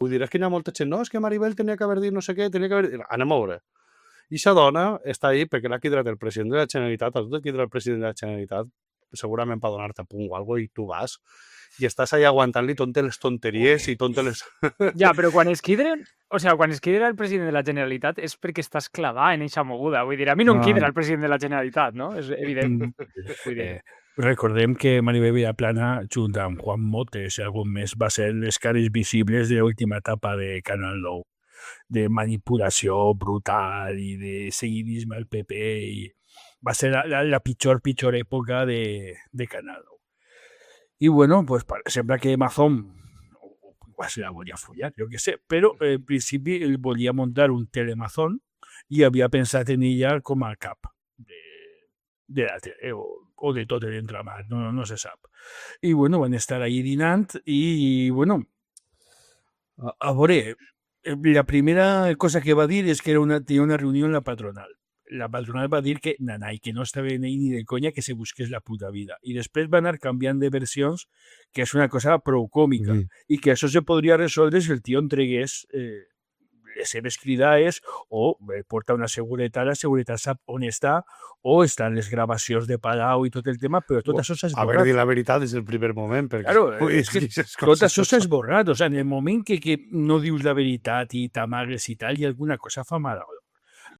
Vull dir, és que hi ha molta gent, no, és que Maribel tenia que haver dit no sé què, tenia que haver dit... Anem a veure. I aquesta dona està ahí perquè l'ha quidra't el president de la Generalitat, a tu te quidra el president de la Generalitat, segurament per donar-te punt o alguna cosa, i tu vas, i estàs ahí aguantant-li totes les tonteries i totes les... Ja, però quan es quidren... O sigui, quan es quidra el president de la Generalitat és perquè estàs clavada en eixa moguda. Vull dir, a mi no em quidra el president de la Generalitat, no? És evident. Vull dir... Recordem que Maribel Villaplana, junt amb Juan Motes i algun més, va ser les cares visibles de l'última etapa de Canal 9, de manipulació brutal i de seguidisme al PP, i va ser la pitjor època de Canal 9. I bueno, pues sembla que Mazón igual se la volia follar, jo què sé, però en principi ell volia muntar un telemazón i havia pensat en ella com a cap de la tele, o de tot l'entramat, no se sap. I bueno, van estar ahí dinant i bueno, a veure, la primera cosa que va dir és que tenia una reunió en la patronal. La patronal va dir que nanai, que no estava ni de conya que se busqués la puta vida. I després va anar canviant de versions, que és una cosa prou còmica, i que això se podria resoldre si el tio entregués les seves cridades o porta una seguretat, la seguretat sap on està, o estan les gravacions de Palau i tot el tema, però tot això s'ha esborrat. Haver dit la veritat des del primer moment. Perquè... Claro, és que tot això s'ha esborrat. O sea, en el moment que no dius la veritat i t'amagues i tal, i alguna cosa fa mal.